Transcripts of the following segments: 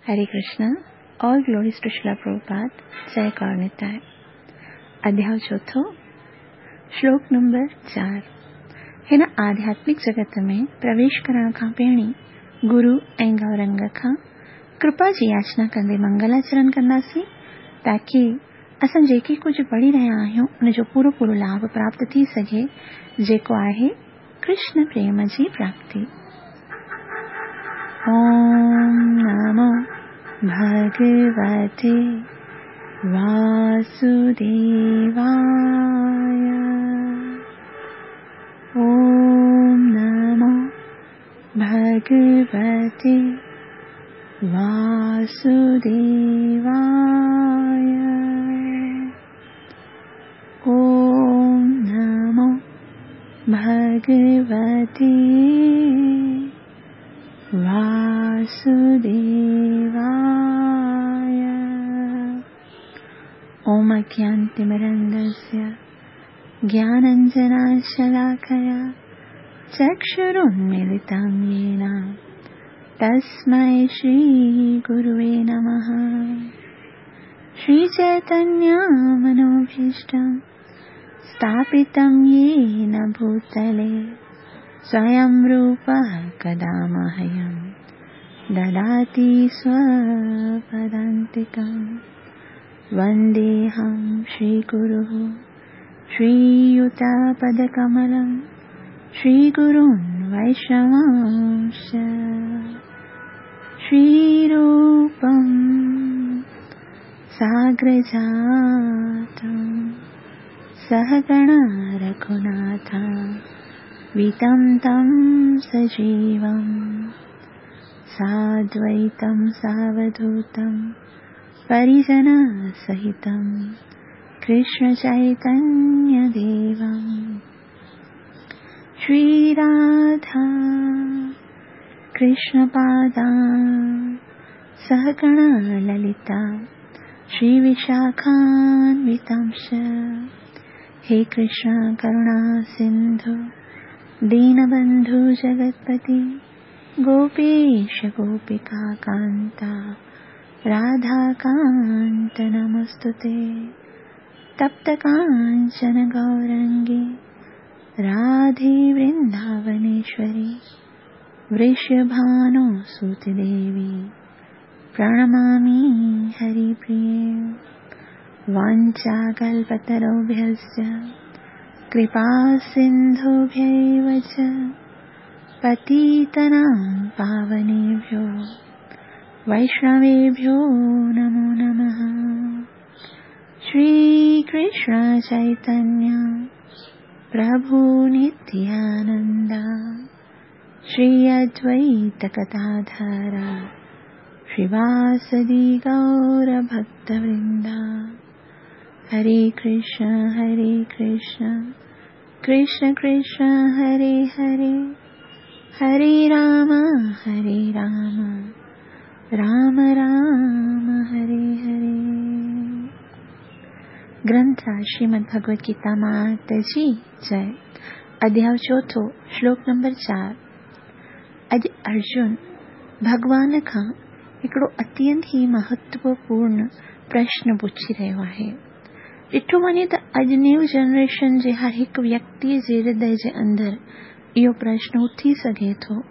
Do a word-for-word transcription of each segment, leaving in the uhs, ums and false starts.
Hare Krishna, all glories to Srila Prabhupada, जय गौर निताय। अध्याय चौथों, श्लोक नंबर चार। हिन आध्यात्मिक जगत में प्रवेश करण खां पहिरीं गुरु ऐं गौरंग खां कृपा जी याचना कंदे मंगलाचरण कंदासीं, ताकी असां जेके कुझु पढ़ी रहिया आहियूं उनजो पूरो पूरो लाभ प्राप्त थी सघे, जेको आहे कृष्ण प्रेम जी प्राप्ति। ओम नमो भगवते वासुदेवाय। ओम नमो भगवते वासुदेवाय। ओम नमो भगवते वासुदेवाय। ओम अज्ञानतिमिरन्धस्य ज्ञानाञ्जनशलाकया चक्षुरुन्मीलितं येन तस्मै श्रीगुरुवे नमः। श्रीचैतन्यमनोभीष्टं स्थापितं येन भूतले स्वयं रूपः कदा मह्यं ददाति स्वपदान्तिकं। वन्देऽहं श्रीगुरुः श्रीयुतपदकमलं श्रीगुरुं वैष्णवांश्च। श्रीरूपं साग्रजातं सहगण रघुनाथं वितं तं सजीवं साद्वैतं सावधूतं परिजनसहितं कृष्णचैतन्यदेवं। श्रीराधा कृष्णपादा सहगण ललिता श्रीविशाखान्वितांश्च। हे कृष्ण करुणा सिन्धु दीनबन्धु जगत्पति गोपेश गोपिका कान्ता राधाकान्त नमस्तुते। तप्त काञ्चन गौरङ्गी राधे वृन्दावनेश्वरी वृषभानुसुते देवी प्रणमामि हरिप्रिये। वाञ्छाकल्पतरुभ्यश्च कृपा सिन्धुभ्यैव च पतितानां पावनेभ्यो वैष्णवेभ्यो नमो नमः। श्रीकृष्ण चैतन्य प्रभु नित्यानन्द श्री अद्वैत गदाधर श्रीवासदि गौरभक्तवृन्द। हरे कृष्ण हरे कृष्ण कृष्ण कृष्ण हरे हरे, हरे राम हरे राम राम राम हरे हरे। ग्रंथ श्रीमद् भगवद गीता मात जी जय। अध्याय चौथों, श्लोक नंबर चार। अॼु अर्जुन भॻवान खां हिकिड़ो अत्यंत ई महत्वपूर्ण प्रश्न पुछी रहियो आहे। ॾिठो वञे त अॼु न्यू जनरेशन जे हर हिकु व्यक्तीअ जे हृदय जे अंदरि इहो प्रश्न उथी सघे थो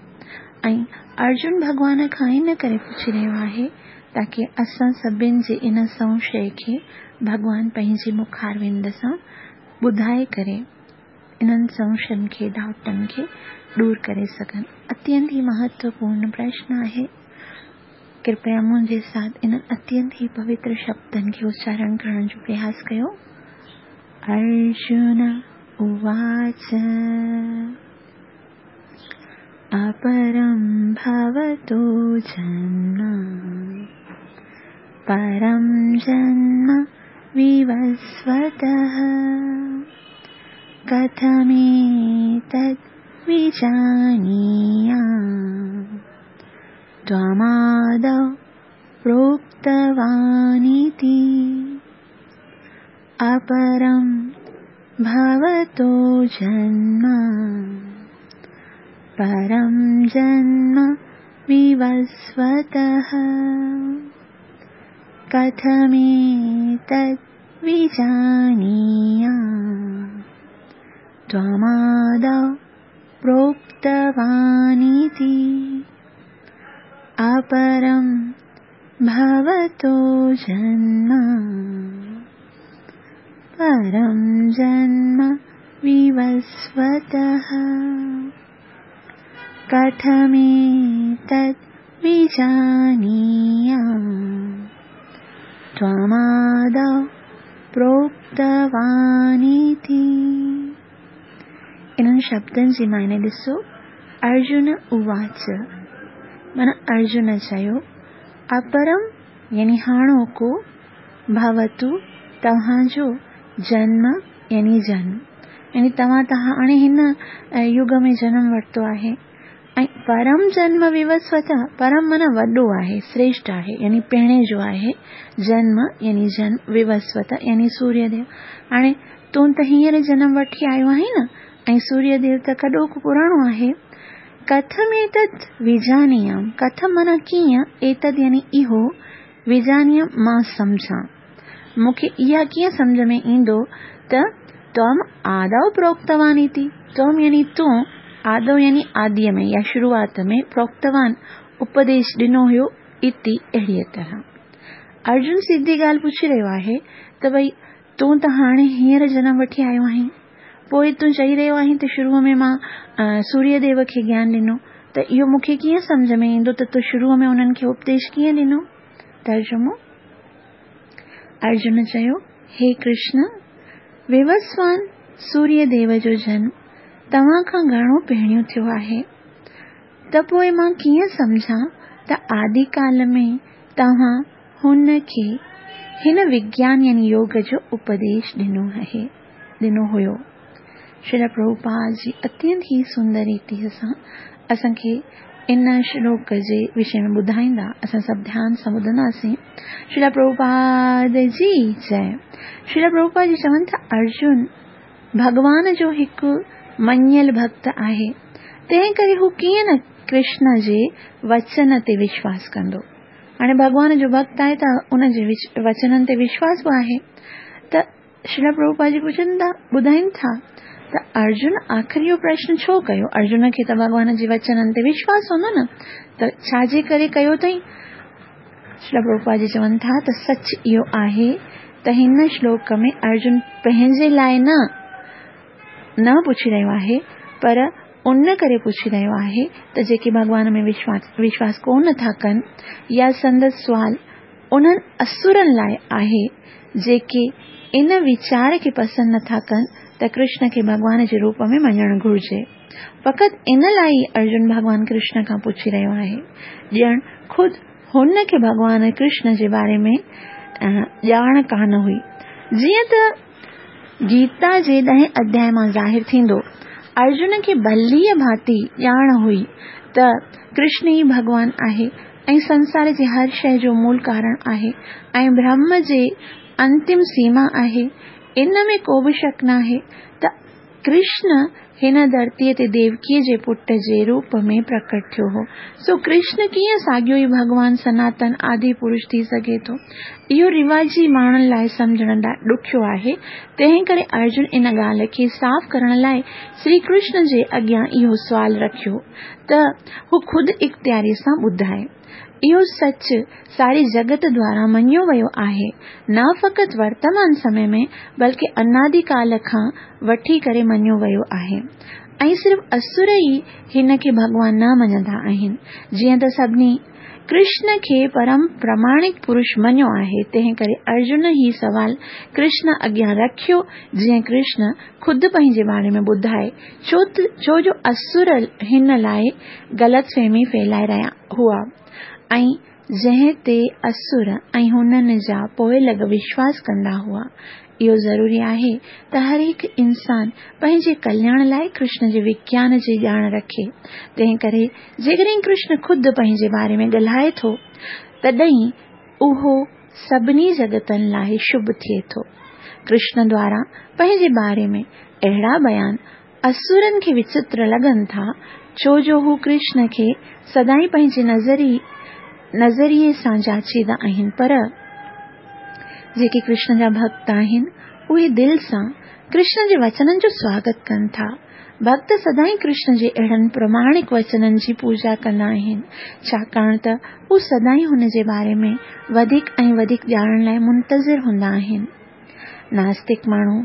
ऐं अर्जुन भॻवान खां इन करे पुछी रहियो आहे ताकी असां सभिनि जे इन संशय खे भॻवान पंहिंजे मुखारविंद सां ॿुधाए करे इन्हनि संशयनि खे, डाउटनि खे दूर करे सघनि। अत्यंत ई महत्वपूर्ण प्रश्न आहे। कृपया मुंहिंजे साथ इन्हनि अत्यंत ई पवित्र शब्दनि खे उच्चारण करण जो प्रयास कयो। अर्जुन उवाच अपरं भवतो जन्म परं जन्म विवस्वतः कथमेतद् विजानीयाम् त्वमादौ प्रोक्तवानिति। अपरं भवतो जन्म परं जन्म विवस्वतः कथमेतद् विजानीयाम् त्वमादौ प्रोक्तवानिति अपरं भवतो जन्म परं जन्म विवस्वतः कथमेतद् विजानीयाम् त्वमादौ प्रोक्तवानिति। इन्हनि शब्दनि जी मायने ॾिसो। अर्जुन उवाच माना अर्जुन चयो, अपरम यानी हाणोको, भवतु तव्हांजो जन्म यानी जन्म, यानी तव्हां त हाणे हिन युग में जन्म वरितो आहे। ऐं परम जन्म विवस्वत, परम माना वॾो आहे, श्रेष्ठ आहे, यानी पहिरें जो आहे, जन्म यानी जन्म, विवस्वत यानी सूर्यदेव। हाणे तूं त हींअर जन्म वठी आयो आहीं न, ऐं सूर्यदेव त कॾोको पुराणो आहे। कथम एतद् विजानीयाम, कथम माना कीअं, एतद् यानी इहो, विजानीयाम मां सम्झां, मूंखे इहा कीअं सम्झ में ईंदो त त्वम् आदौ प्रोक्तवान् इति, त्वम् यानी तूं, आदौ यानी आदीअ में या शुरूआत में, प्रोक्तवान् उपदेश ॾिनो हुयो, इति अहिड़ीअ तरह। अर्जुन सिधी ॻाल्हि पुछी रहियो आहे त भई तूं त हाणे हींअर जनम वठी आयो आहीं, पोइ तूं चई रहियो आहीं त शुरूअ में मां सूर्यदेव खे ज्ञान ॾिनो, त इहो मूंखे कीअं सम्झ में ईंदो त तूं शुरूअ में उन्हनि खे उपदेश कीअं ॾिनो? तर्जुमो। अर्जुन चयो, हे कृष्ण, विवस्वान सूर्यदेव जो जन्म तव्हां खां घणो पहिरियों थियो आहे, त पोइ मां कीअं सम्झां त आदिकाल में तव्हां हुन खे हिन विज्ञान यानी योग जो उपदेश ॾिनो आहे, ॾिनो हुयो। श्रील प्रभुपाद जी अत्यंत ही सुंदर रीति सां असांखे इन श्लोक जे विषय में ॿुधाईंदा। असां सभु ध्यान सां ॿुधंदासीं। श्रील प्रभुपाद जी जय। श्रील प्रभुपाद जी चवनि था, अर्जुन भॻवान जो हिकु मञियल भक्त आहे, तंहिं करे हू कीअं न कृष्ण जे वचन ते विश्वास कंदो। हाणे भॻवान जो भक्त आहे त उन जे वचननि ते विश्वास बि आहे। त श्रील प्रभुपाद जी पुछनि था, ॿुधाइनि था त अर्जुन आख़िर इहो प्रश्न छो कयो? अर्जुन खे त भॻवान जे वचननि ते विश्वास हूंदो न, त छाजे करे कयो अथई? श्रील प्रभुपाद जी चवनि था त सच इहो आहे त हिन श्लोक में अर्जुन पंहिंजे लाइ न न पुछी रहियो आहे, पर उन करे पुछी रहियो आहे त जेके भॻवान में विश्वास विश्वास कोन था कनि, या संदसि सुवाल उन्हनि असुरनि लाइ आहे जेके इन वीचार खे पसंदि नथा कनि त कृष्ण खे भॻवान जे रूप में मञणु घुरिजे। फ़क़ति इन लाइ ई अर्जुन भॻवान कृष्ण खां पुछी रहियो आहे, ॼण ख़ुदि हुन खे भॻवान कृष्ण जे बारे में ॼाण कान हुई। जीअं त गीता जे ॾहें अध्याय मां ज़ाहिर थींदो, अर्जुन खे भलीअ भांति ॼाण हुई त कृष्ण ई भॻवान आहे ऐं संसार जे हर शइ जो मूल कारण आहे ऐं ब्रह्म जे अंतिम सीमा आहे। इन में को बि शक न आहे त कृष्ण हिन धरतीअ ते देवकीअ जे पुट जे रूप में प्रकट थियो हो। सो कृष्ण कीअं साॻियो ई भॻवान सनातन आदि पुरुष थी सघे थो? इहो रिवाजी माण्हुनि लाइ सम्झण ॾुखियो आहे। तंहिं करे अर्जुन इन ॻाल्हि खे साफ़ करण लाइ श्री कृष्ण जे अॻियां इहो सुवाल रखियो त हू ख़ुदि इख़्तियारी सां ॿुधाए। इहो सच सारी जगत द्वारा मञियो वियो आहे, न फ़क़ति वर्तमान समय में बल्कि अनादिकाल खां वठी करे मञियो वियो आहे। ऐं सिर्फ़ असुर ई हिन खे भॻवान न मञंदा आहिनि। जीअं त सभिनी कृष्ण खे परम प्रमाणिक पुरुष मञियो आहे, तंहिं करे अर्जुन ही सवाल कृष्ण अॻियां रखियो जीअं कृष्ण ख़ुदि पंहिंजे बारे में ॿुधाए, छो छो जो असुर हिन लाइ ग़लतफ़हमी फैलाए रहिया हुआ ऐं जंहिं ते असुर ऐं हुननि जा पोइलॻ विश्वास कंदा हुआ। इहो ज़रूरी आहे त हर हिकु इंसान पंहिंजे कल्याण लाइ कृष्ण जे विज्ञान जी ॼाण रखे। तंहिं करे जेकॾहिं कृष्ण ख़ुदि पंहिंजे बारे में ॻाल्हाए थो, तॾहिं उहो सभिनी जगतनि लाइ शुभ थिए थो। कृष्ण द्वारा पंहिंजे बारे में अहिड़ा बयान اسرن کي وچتر لڳن ٿا، ڇو جو هو ڪرشن کي سدائين پنهنجي نظري نظريي سان جاچيندا آهن، پر جيڪي ڪرشن جا ڀڳت آهن، اهي دل سان ڪرشن جي وچنن جو سواگت ڪن ٿا. ڀڳت سدائين ڪرشن جي اهڙن پراماڻڪ وچنن جي پوڄا ڪندا آهن، ڇاڪاڻ ته هو سدائين هن جي باري ۾ وڌيڪ ۽ وڌيڪ ڄاڻڻ لاءِ منتظر هوندا آهن. ناستڪ ماڻهو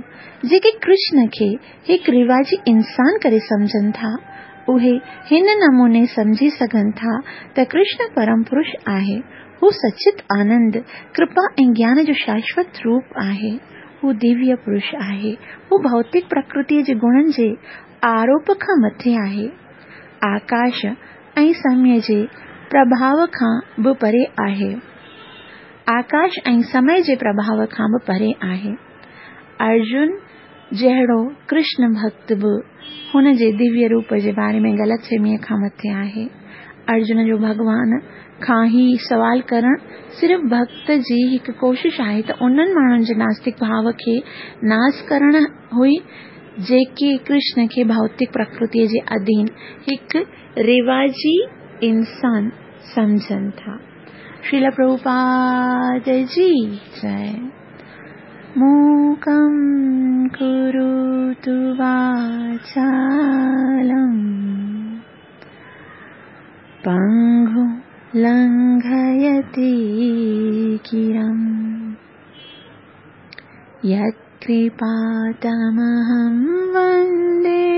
جيڪي ڪرشن کي هڪ رواجي انسان ڪري سمجهن ٿا، اهي هن نموني سمجهي سگهن ٿا ته ڪرشن پرم پرش آهي. هو سچت آنند، ڪرپا ۽ گيان جو شاشوت روپ آهي. هو دويه پرش آهي. هو ڀوتڪ پرڪرتيءَ جي گڻن جي آروپ کان مٿي آهي. آڪاش ۽ سمي جي پرڀاو کان به پري آهي. آڪاش ۽ سمي جي پرڀاو کان به پري آهي. ارجن جهڙو ڪرشن ڀڳت به هن جي دويه روپ جي باري ۾ غلط فهميءَ کان مٿي آهي. ارجن جو ڀڳوان کان هي سوال ڪرڻ صرف ڀڳت جي هڪ ڪوشش آهي ته انهن ماڻهن جي ناستڪ ڀاو کي ناس ڪرڻ هئي، جيڪي ڪرشن کي ڀوتڪ پرڪرتيءَ جي اڌين هڪ رواجي انسان سمجهن ٿا. شريل پرڀوپاد جي جئي. موڪم ڪروتु واچالم پنگو لنگهيتي گرم يتڪرپا تمهم وندي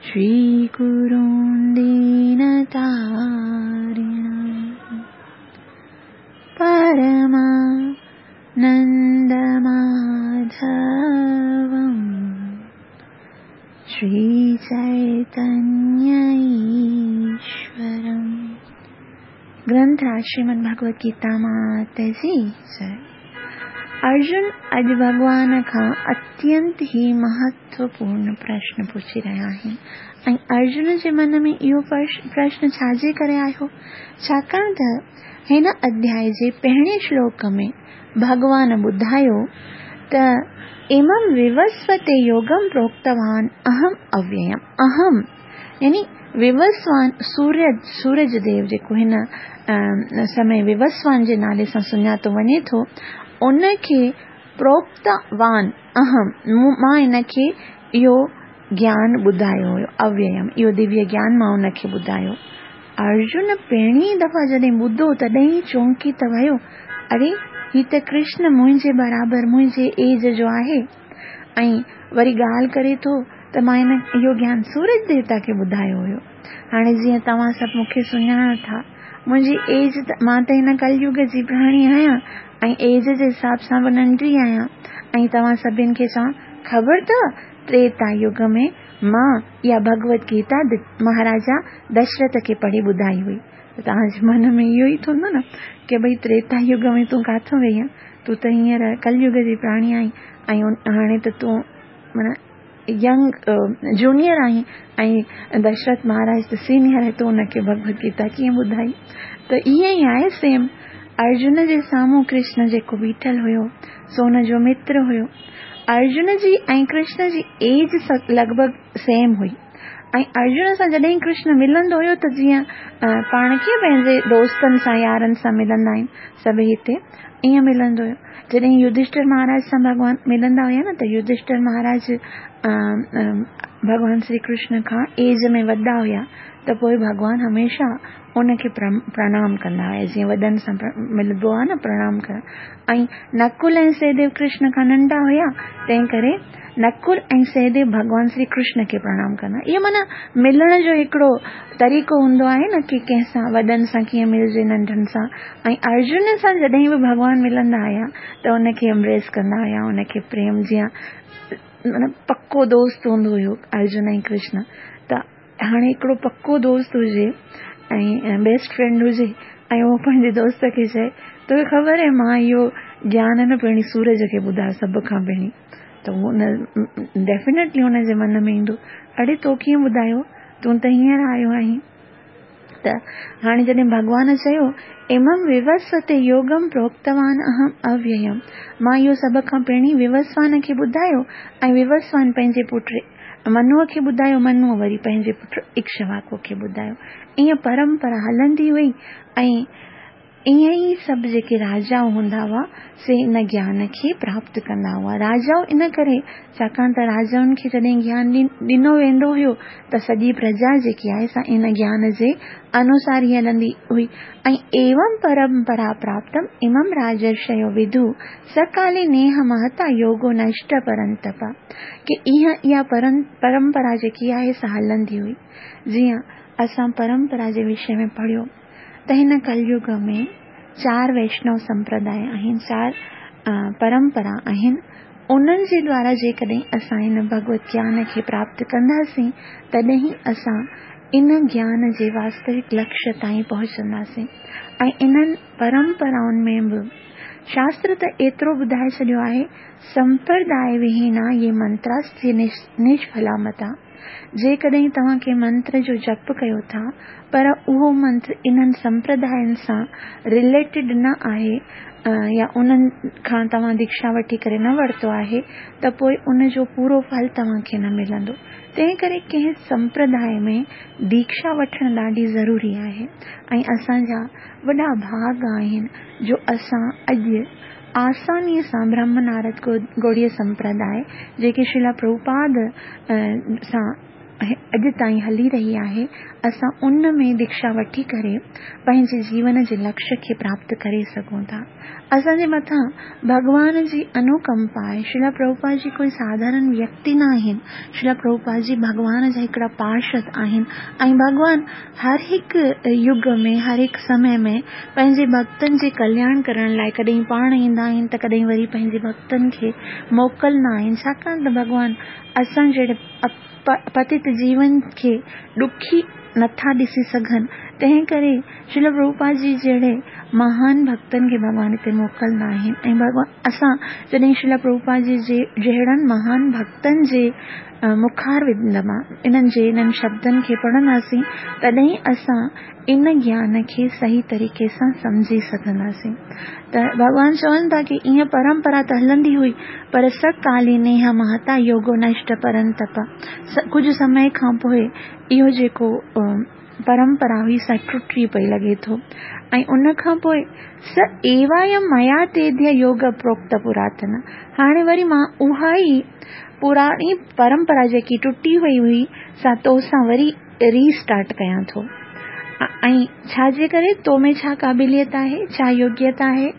شري گرون دينتارڻم پرمانند ماڌوم شري چيتنيه ايشورم. گرنٿ شريمد ڀڳوت گيتا مات جي جئي. ارجن اڄ ڀڳوان کان اتينت ئي مهتوپورڻ پرشن پڇي رهيا آهن ۽ ارجن جي من ۾ اهو پرشن ڇا جي ڪري آيو؟ ڇاڪاڻ ته هن اڌياءِ جي پهرين شلوڪ ۾ ڀڳوان ٻڌايو ته امم ووسوتي يوگم پروڪتوان اهم اوييم. اهم يعني ووسوان سورج، سورج ديو جيڪو هن سمي ووسوان جي نالي سان سڃاتو وڃي ٿو، ان کي پروڪتوان اهم، مان هن کي اهو گيان ٻڌايو هيو، اوييم اهو دويه گيان مان ان کي ٻڌايو. ارجن پهرين دفعا جڏهن ٻڌو تڏهن ئي چونڪي ته ويو، اري هي ته ڪرشن منهنجي برابر منهنجي ايج جو آهي ۽ وري ڳالهه ڪري ٿو ته مان هن اهو گيان سورج ديوتا کي ٻڌايو هيو. هاڻي جيئن توهان سڀ مون کي سڃاڻو ٿا، منهنجي ايج ته مان ته هن ڪليگ جي پراڻي آهيان ۽ ايج جي حساب سان به ننڍي آهيان ۽ توهان سڀني کي چوان خبر اٿو تريتا يگ ۾ مان اها ڀڳوت گيتا مهاراجا دشرٿ کي پڙهي ٻڌائي هئي. ته توهان جي من ۾ اهو ئي ٿيندو نه ڪه ڀئي تريتا يگ ۾ تون ڪاٿو وئي آهين، تون ته هينئر ڪليگ جي پراڻي آهين ۽ هاڻي ته تون معنيٰ ينگ جونيئر آهين ۽ دشرٿ مهاراج ته سينيئر آهي، تون هن کي ڀڳوت گيتا ڪيئن ٻڌائي؟ ته ائين ئي آهي سيم ارجن جي سامهون ڪرشن جيڪو بيٺل هيو سو هن جو متر هيو. ارجن جي ۽ ڪرشن جي ايج لڳ ڀڳ سيم هئي ۽ ارجن سان جڏهن ڪرشن ملندو هيو ته جيئن پاڻ ڪيئن پنهنجي دوستن سان يارن سان ملندا آهيون سڀئي هتي ائين ملندو هيو. جڏهن يڌشٺر مهاراج سان ڀڳوان ملندا هئا نه ته يڌشٺر مهاراج ڀڳوان شري ڪرشن کان ايج ۾ وڏا هئا ته پوءِ ڀڳوان هميشه ان کي پرڻام ڪندا هئا، جيئن وڏن سان ملبو آهي نه پرڻام ڪرڻ. ۽ نڪل ۽ سهديو ڪرشن کان ننڍا هئا، تنهن ڪري نڪل ۽ سهديو ڀڳوان شري ڪرشن کي پرڻام ڪندا. اهو معنيٰ ملڻ جو هڪڙو طريقو هوندو آهي نه ڪه ڪنهن سان وڏن سان ڪيئن ملجي ننڍن سان. ۽ ارجن سان جڏهن به ڀڳوان ملندا هئا ته ان کي ايمبريس ڪندا هئا، ان کي پريم جيئن معنيٰ پڪو دوست هوندو هيو ارجن ۽ ڪرشن. ته هاڻي هڪڙو پڪو دوست هجي ۽ بيسٽ فرينڊ هجي ۽ اهو پنهنجي دوست کي چئي توکي خبر آهي مان اهو گيان نه پهرين سورج کي ٻڌايو سڀ کان پهرين، ته هن ڊيفينيٽلي هن جي من ۾ ايندو اڙي تو ڪيئن ٻڌايو، تون ته هينئر آيو آهين. ته هاڻي جڏهن ڀڳوان چيو امم ووسوتي يوگم پروڪتوان اهم اوييم، مان اهو سڀ کان پهرين ووسوان کي ٻڌايو ۽ ووسوان پنهنجي پٽ منوءَ کي ٻڌايو، منوءَ وري پنهنجي پٽ اڪشواڪو کي ٻڌايو. ائين پرمپرا هلندي هئي ۽ ائين ئي سڀ جيڪي راجا هوندا هئا سي ان گيان کي پراپت ڪندا هئا. راجائون ان ڪري ڇاڪاڻ ته راجائن کي جڏهن گيان ڏنو ويندو هيو ته سڄي پرجا جيڪي آهي سا ان گيان جي انوسار ئي هلندي هئي. ۽ ايوم پرمپرا پراپتم امم راجرشيو وڌو سڪالي نيهه مهتا يوگو نشٽ پرنتپ، ڪي اها اها پرمپرا جيڪي آهي سا هلندي هئي. جيئن اسان پرمپرا جي وشي ۾ پڙهيو ته هن ڪليگ ۾ چار ويشنو سمپرداءِ آهن، چار پرمپرا آهن. انهن جي دوارا جيڪڏهن اسان هن ڀڳوت گيان کي پراپت ڪنداسين تڏهن ئي اسان ان گيان جي واستوڪ لڪشيه تائين پهچنداسين. ۽ انهن پرمپرائن ۾ به شاستر ته ايترو ٻڌائي ڇڏيو آهي، سمپرداءِ وهينا يي منتراستي نشڦلا متا. جيڪڏهن توهان ڪنهن منتر جو جپ ڪيو ٿا پر اهو منتر انهن سمپرداين سان رليٽيڊ نه آهي يا انهن کان توهان ديڪشا وٺي ڪري نه ورتو آهي ته پوءِ ان جو پورو ڦل توهان کي نه ملندو. تنهن ڪري ڪنهن سمپرداءِ ۾ ديڪشا وٺڻ ڏاڍي ضروري آهي. ۽ اسان جا وڏا ڀاڳ آهن جو اسان اڄ آسانيءَ سان برهم نارد گوڙيه سمپرداءِ جيڪي شريلا پرڀوپاد سان اڄ تائين هلي رهي آهي، اسان ان ۾ ديڪشا وٺي ڪري پنهنجي جيون جي لڪشيه کي پراپت ڪري سگهون ٿا. اسان جي مٿان ڀڳوان جي انوڪمپا آهي. شريلا پرڀوپاد جي ڪوئي ساڌارڻ ويڪتي نه آهن. شريلا پرڀوپاد جي ڀڳوان جا هڪڙا پارشد آهن ۽ ڀڳوان هر هڪ يگ ۾ هر هڪ سمي ۾ پنهنجي ڀڪتن جي ڪلياڻ ڪرڻ لاءِ ڪڏهن پاڻ ايندا آهن ته ڪڏهن وري پنهنجي ڀڪتن کي موڪلندا آهن. ڇاڪاڻ ته ڀڳوان اسان جهڙي پتت جيون کي ڏکي نٿا ڏسي سگهن، تنهن ڪري شريلا پرڀوپاد جي جهڙي مهان ڀڪتن کي ڀڳوان هتي موڪلندا آهن. ۽ ڀڳوان اسان جڏهن شريلا پرڀوپاد جي جهڙن مهان ڀڪتن جي مکاروند مان انهن جي انهن شبدن کي پڙهنداسين تڏهن اسان ان گيان کي صحيح طريقي سان سمجهي سگهنداسين. ته ڀڳوان چون ٿا ڪه ائين پرمپرا ته هلندي هئي پر سڪالي نيهه مهتا يوگو نشٽ پرنتپ. ڪجهه سمي کان پوءِ اهو جيڪو پرمپرا هئي سا ٽٽي پئي لڳي ٿو. ۽ ان کان پوءِ س ايوايم ميا تيديه يوگ پروڪت پراتن. هاڻي وري مان اها ئي پراڻي پرمپرا جيڪي ٽٽي وئي هئي سا تو سان وري ريسٽارٽ ڪيان ٿو. ۽ ڇا جي ڪري تو ۾ ڇا قابليت آهي، ڇا يوگيتا آهي؟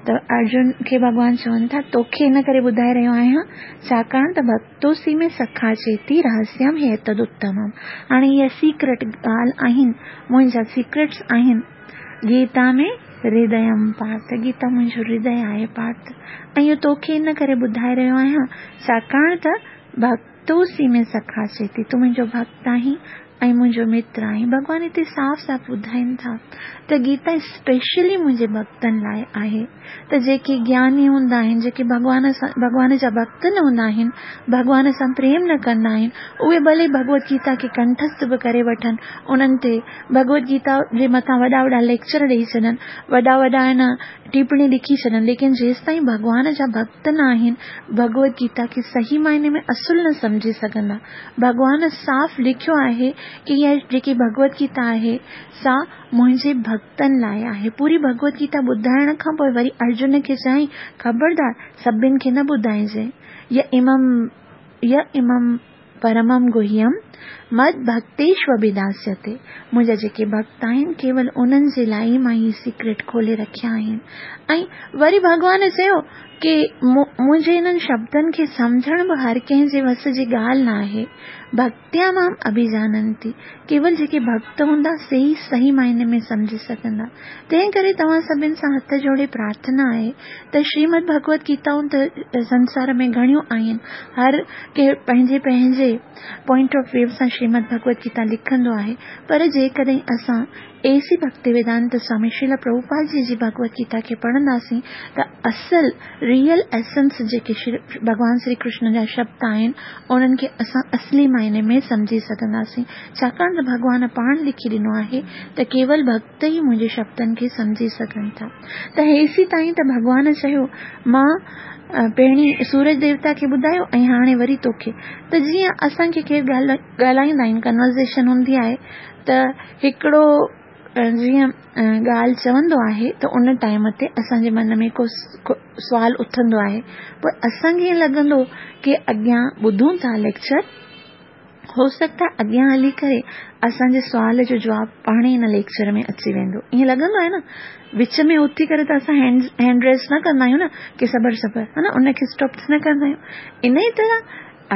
ته ارجن کي ڀڳوان چون ٿا توکي ان ڪري ٻڌائي رهيو آهيان ڇاڪاڻ ته ڀڪتوسي ۾ سکا چيتي رهسيم هيتد اتمم. هاڻي اها سيڪريٽ ڳالهه آهن، منهنجا سيڪريٽس آهن. گيتا ۾ هرديم پارٿ، گيتا منهنجو هردي آهي پارٿ. ۽ اهو توکي ان ڪري ٻڌائي رهيو آهيان ڇاڪاڻ ته ڀڪتوسي ۾ سکا چيتي، تون منهنجو ڀڪت آهين ۽ منهنجو متر آهين. ڀڳوان هتي صاف صاف ٻڌائين ٿا ته گيتا اسپيشلي منهنجي ڀڪتن لاءِ آهي. ته جيڪي گياني هوندا آهن، جيڪي ڀڳوان سان ڀڳوان جا ڀڪت نه هوندا آهن، ڀڳوان سان پريم نه ڪندا آهن، اهي ڀلي ڀڳوت گيتا کي ڪنٺسٿ به ڪري وٺن، انهن تي ڀڳوت گيتا جي مٿان وڏا وڏا ليڪچر ڏيئي ڇڏن، وڏا وڏا آهن ٽپڻي لکي ڇڏن، ليڪن جيس تائين ڀڳوان جا ڀڪت نه آهن ڀڳوت گيتا کي صحيح معني ۾ اصل نه سمجهي سگهندا. ڀڳوان صاف لکيو آهي ڪه اها جيڪي ڀڳوت گيتا آهي سا منهنجي ڀڪتن لاءِ آهي. پوري ڀڳوت گيتا ٻڌائڻ کان پوءِ وري ارجن کي چيائين خبردار سڀني کي نه ٻڌائجي، يه امم يه امم پرمم گهيم مد ڀڪتيشو اڀداسيتي. منهنجا جيڪي ڀڪت آهن ڪيول انهن جي لاءِ ئي مان هي سيڪريٽ کولي رکيا آهن. ۽ وري ڀڳوان چيو ڪه منهنجي انهن شبدن کي سمجهڻ به هر ڪنهن جي وس جي ڳالهه نه آهي. ڀڪتيا مام اڀجاننتي، ڪيول جيڪي ڀڪت هوندا سي ئي صحيح معني ۾ سمجهي سگهندا. تنهن ڪري توهان سڀني سان هٿ جوڙي پرارٿنا آهي ته شريمد ڀڳوت گيتائون ته سنسار ۾ گهڻيون آهن، هر ڪنهن پنهنجي پنهنجي پوائنٽ آف ويو سان شريمد ڀڳوت گيتا لکندو آهي، پر جيڪڏهن اسان اي سي ڀڪتي ويدانت سوامي شريل پرڀوپاد جي جي ڀڳوت گيتا کي پڙهنداسين ته اصل ريئل ايسنس جيڪي ڀڳوان شري ڪرشن جا شبد آهن انهن کي اسان اصلي معني ۾ سمجهي سگهنداسين. ڇاڪاڻ ته ڀڳوان پاڻ لکي ڏنو آهي ته ڪيول ڀڪت ئي منهنجي شبدن کي سمجهي سگهن ٿا. ته هيسي تائين ته ڀڳوان چيو مان پهرين سورج ديوتا کي ٻڌايو ۽ هاڻي وري توکي. ته جيئن اسان کي ڪير ڳالهائيندا آهن، ڪنورزيشن هوندي آهي ته هڪڙو جيئن ڳالهه چوندو آهي ته ان ٽائيم تي اسان جي من ۾ ڪو سوال اٿندو آهي. پوءِ اسان کي ائين لڳندو ڪه اڳيان ٻڌون ٿا ليڪچر، هو سگهتا اڳيان هلي ڪري اسان جي سوال جو جواب پاڻ ئي هن ليڪچر ۾ اچي ويندو. ائين لڳندو آهي نه، وچ ۾ اٿي ڪري ته اسان هينڊ هينڊ ريز نه ڪندا آهيون نه ڪه صبر صبر ها نه، ان کي اسٽاپ نه ڪندا آهيون. ان ئي طرح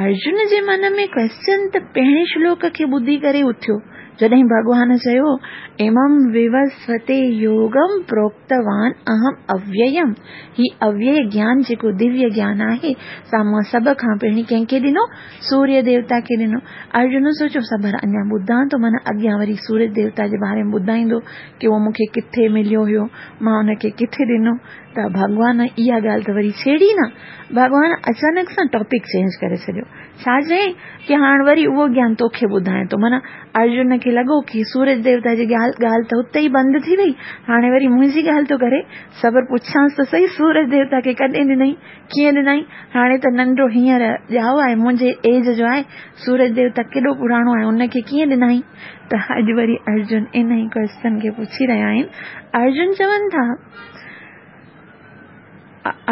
ارجن جي من ۾ ڪويسچن ته پهرين شلوڪ کي ٻڌي ڪري اٿيو، جڏهن ڀڳوان چيو امم ووسوتي يوگم پروڪتوان اهم اوييم. هي اويي گيان جيڪو دويه گيان آهي سا مان سڀ کان پهرين ڪنهن کي ڏنو؟ سوريه ديوتا کي ڏنو. ارجن سوچيو صبر اڃا ٻڌان ٿو، معنيٰ اڳيان وري سوريه ديوتا جي باري ۾ ٻڌائيندو ڪه اهو مون کي ڪٿي مليو هيو، مان ان کي ڪٿي ڏنو. ته ڀڳوان اها ڳالهه ته وري ڇيڙي نه، ڀڳوان اچانڪ سان ٽاپڪ چينج ڪري ڇڏيو. ڇا چيائين ڪه هاڻي وري اهو گيان توکي ٻڌايان ٿو. معنيٰ ارجن کي لڳو ڪه سورج ديوتا جي ڳالهه ڳالهه ته هتي ئي بند ٿي وئي، هاڻي وري منهنجي ڳالهه ٿو ڪري. صبر پڇانس ته صحيح سورج ديوتا کي ڪڏهن ڏنئي، ڪيئن ڏنئي؟ هاڻي ته ننڍو هينئر ڄائو آهي، منهنجي ايج جو آهي، سورج ديوتا ڪيڏو پراڻو آهي، ان کي ڪيئن ڏنئي؟ ته اڄ وري ارجن ان ئي ڪويسچن کي پڇي رهيا آهن. ارجن چون ٿا،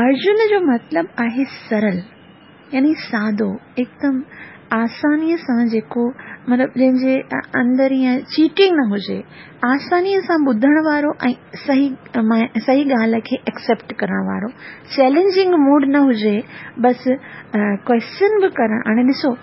ارجن جو مطلب آهي سرل يعني سادو، هڪدم آسانيءَ سان جيڪو مطلب جنهن جي اندر ائين چيٽنگ نه هجي، آسانيءَ سان ٻڌڻ وارو ۽ صحيح صحيح ڳالهه کي ايڪسيپٽ ڪرڻ وارو، چئلينجنگ موڊ نه هجي، بس ڪويسچن به ڪرڻ. هاڻي ڏسو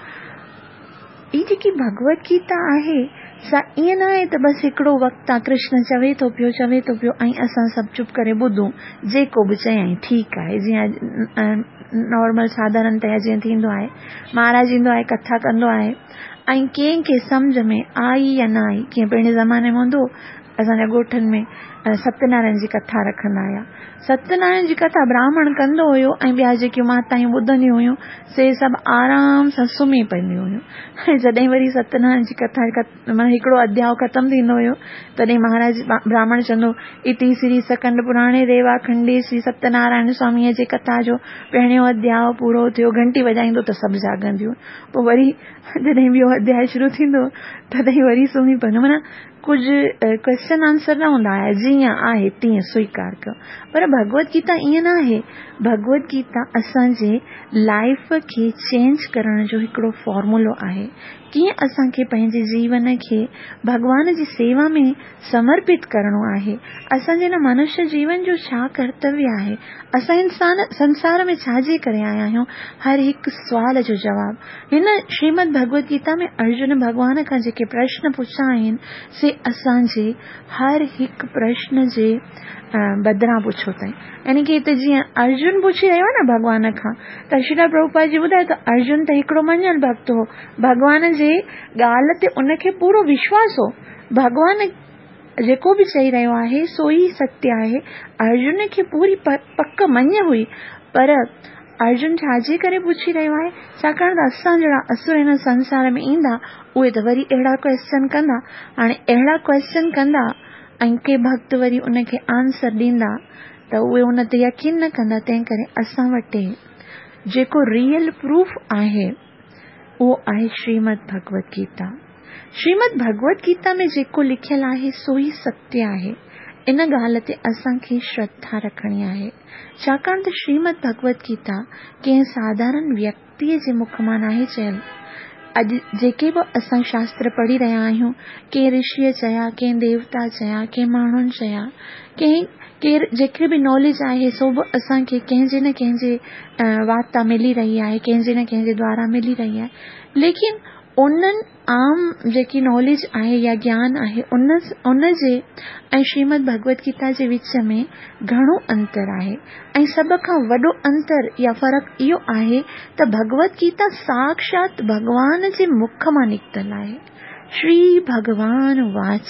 هي جيڪي ڀڳوت گيتا آهي سا ائين نه آهي ته بس هڪڙو وقت آهي ڪرشن چوي ٿو پيو چوي ٿو پيو ۽ اسان سڀ چپ ڪري ٻڌون، جيڪو به چيائين ٺيڪ آهي. جيئن نارمل ساڌارڻتيا جيئن ٿيندو آهي، مهاراج ايندو آهي ڪٿا ڪندو آهي ۽ ڪنهن کي سمجهه ۾ آئي يا نه آئي. ڪيئن پهرين زماني ۾ هوندو اسان جا ڳوٺن ۾ ستيه نارائڻ جي ڪٿا رکندا هئا. ستيه نارائڻ جي ڪٿا براهمڻ ڪندو هيو ۽ ٻيا جيڪيون ماتايون ٻڌنديون هيون سي سڀ آرام سان سمهي پونديون هيون. ۽ جڏهن وري ستيه نارائڻ جي ڪٿا معنيٰ هڪڙو اڌياءُ ختم ٿيندو هيو تڏهن مهاراج براهمڻ چوندو اتي شري سڪند پراڻي ريوا کنڊي شري ستيه نارائڻ سواميءَ جي ڪٿا جو پهريون اڌياءُ پورو ٿيو. گهنٽي وڄائيندو ته سڀ جاڳنديون. پوءِ وري جڏهن ٻيو اڌياءُ شروع ٿيندو تڏهن وري سمهي پوندو. معنيٰ ڪجهه ڪويسچن آنسر نه هوندا هئا، جيئن آهي تيئن سويڪار ڪيو. پر ڀڳوت گيتا ائين نه آهي. ڀڳوت گيتا اسان جي لائيف کي چينج ڪرڻ جو هڪڙو فارمولو آهي. ڪيئن اسان کي پنهنجي جيون کي ڀڳوان جي سيوا ۾ سمرپت ڪرڻو آهي، اسان جي هن منشيه جيون جو ڇا ڪرتويه آهي، اسان انسان سنسار ۾ ڇا جي ڪري آيا آهيون، هر هڪ سوال جو جواب هن شريمد ڀڳوت گيتا ۾ ارجن ڀڳوان کان جيڪي پرشن پڇيا آهن سي اسان جي هر هڪ پرشن جي بدران پڇيو اٿئي. يعني ڪه هتي جيئن ارجن پڇي رهيو آهي نه ڀڳوان کان، ته شريل پرڀوپاد جي ٻڌايو ته ارجن ته هڪڙو مڃيل ڀڪت هو، ڀڳوان جي ڳالهه تي ان کي پورو وشواس هو، ڀڳوان جيڪو به چئي رهيو آهي سو ئي ستيه آهي. ارجن کي پوري پڪ مڃ هئي، پر ارجن ڇا جي ڪري پڇي رهيو آهي؟ ڇاڪاڻ ته اسان جهڙا اسر هن سنسار ۾ ايندا اهي ته وري اهڙا ڪويسچن ڪندا. هاڻي اهڙا ڪويسچن ڪندا ۽ ڪي ڀڪت وري ان کي آنسر ڏيندا ته اهي ان تي يقين نه ڪندا. تنهن ڪري اسان وٽ جيڪو ريئل پروف آهي اهو آهي شريمد ڀڳوت گيتا. شريمد ڀڳوت گيتا ۾ جيڪو لکيل آهي سو ئي ستيه آهي. ان ڳالهه تي اسان کي شرڌا رکڻي آهي، ڇاڪاڻ ته شريمد ڀڳوت گيتا ڪنهن ساڌارڻ ويڪتيءَ جي مک مان ناهي چيل. اڄ جيڪي به اسان شاستر پڙهي رهيا آهيون، ڪنهن رشيءَ چيا، ڪنهن ديوتا چيا، ڪنهن ماڻهن چيا، ڪنهن ڪير جيڪي به ناليج آهي سو به اسان کي ڪنهن جي نه ڪنهن جي وات تان ملي رهي آهي، ڪنهن جي نه ڪنهن جي دوارا ملي رهي آهي. ليڪن انهن عام جيڪي ناليج آهي يا گيان آهي ان ان جي ۽ شريمد ڀڳوت گيتا جي وچ ۾ گهڻو انتر آهي. ۽ سڀ کان وڏو انتر يا فرق اهو آهي ته ڀڳوت گيتا ساڪشات ڀڳوان جي مک مان نڪتل آهي. شري ڀڳوان واچ،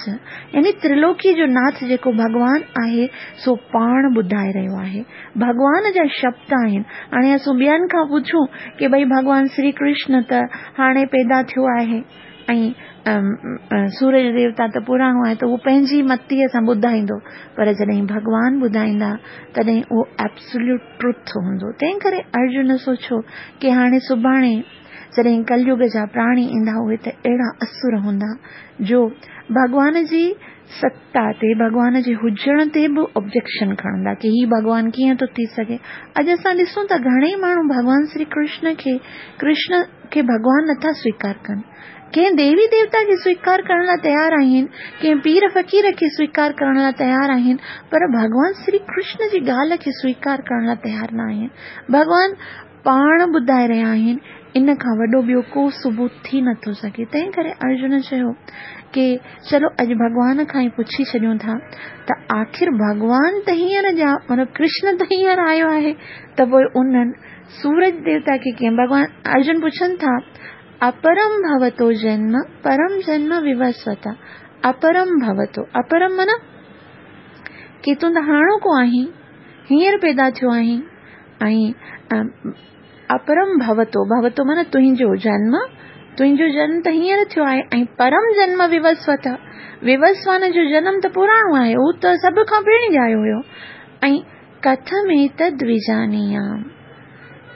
يعني ترلوڪي جو ناٿ جيڪو ڀڳوان آهي سو پاڻ ٻڌائي رهيو آهي. ڀڳوان جا شبد آهن. هاڻي اسان ٻين کان پڇون ڪه ڀئي ڀڳوان شري ڪرشن ته هاڻي پيدا ٿيو آهي ۽ سورج ديوتا ته پراڻو آهي، ته اهو پنهنجي متيءَ سان ٻڌائيندو، پر جڏهن ڀڳوان ٻڌائيندا تڏهن اهو ايبسوليوٽ ٽروٿ هوندو. تنهن ڪري ارجن سوچيو ڪه هاڻي سڀاڻي جڏهن ڪليگ جا پراڻي ايندا اهي ته اهڙا اسر هوندا جو ڀڳوان جي ستا تي، ڀڳوان جي هجڻ تي به آبجيڪشن کڻندا ڪه هي ڀڳوان ڪيئن ٿو ٿي سگهي. اڄ اسان ڏسون ٿا گهڻيئي ماڻهو ڀڳوان شري ڪرشن کي ڪرشن کي ڀڳوان نٿا سويڪار ڪن. ڪنهن ديوي ديوتا کي سويڪار ڪرڻ لاءِ تيار آهن، ڪنهن پير فقير کي سويڪار ڪرڻ لاءِ تيار آهن، پر ڀڳوان شري ڪرشن جي ڳالهه کي سويڪار ڪرڻ لاءِ تيار نه آهن. ڀڳوان پاڻ ٻڌائي رهيا آهن، ان کان وڏو ٻيو ڪو ثبوت ٿي نٿو سگهي. تنهن ڪري ارجن چيو ڪه چلو اڄ ڀڳوان کان ئي پڇي ڇڏيون ٿا ته آخر ڀڳوان ته هينئر جا مطلب ڪرشن ته هينئر آيو آهي، ته پوءِ انهن سورج ديوتا کي ڪيئن؟ ڀڳوان ارجن پڇن ٿا، اپرم ڀوتو جنم پرم جنم ووسوتا. اپرم ڀوتو، اپرم معنيٰ ڪه تون ته هاڻوڪو آهين، هينئر پيدا ٿيو آهين، ۽ اپرم ڀوتو، ڀوتو معنيٰ تنهنجو جنم، تنهنجو جنم ته هينئر ٿيو آهي، ۽ پرم جنم ووسوت، ووسوان جو جنم ته پراڻو آهي، اهو ته سڀ کان پهرين ڄايو هيو. ۽ ڪٿم ايتد وجانيام.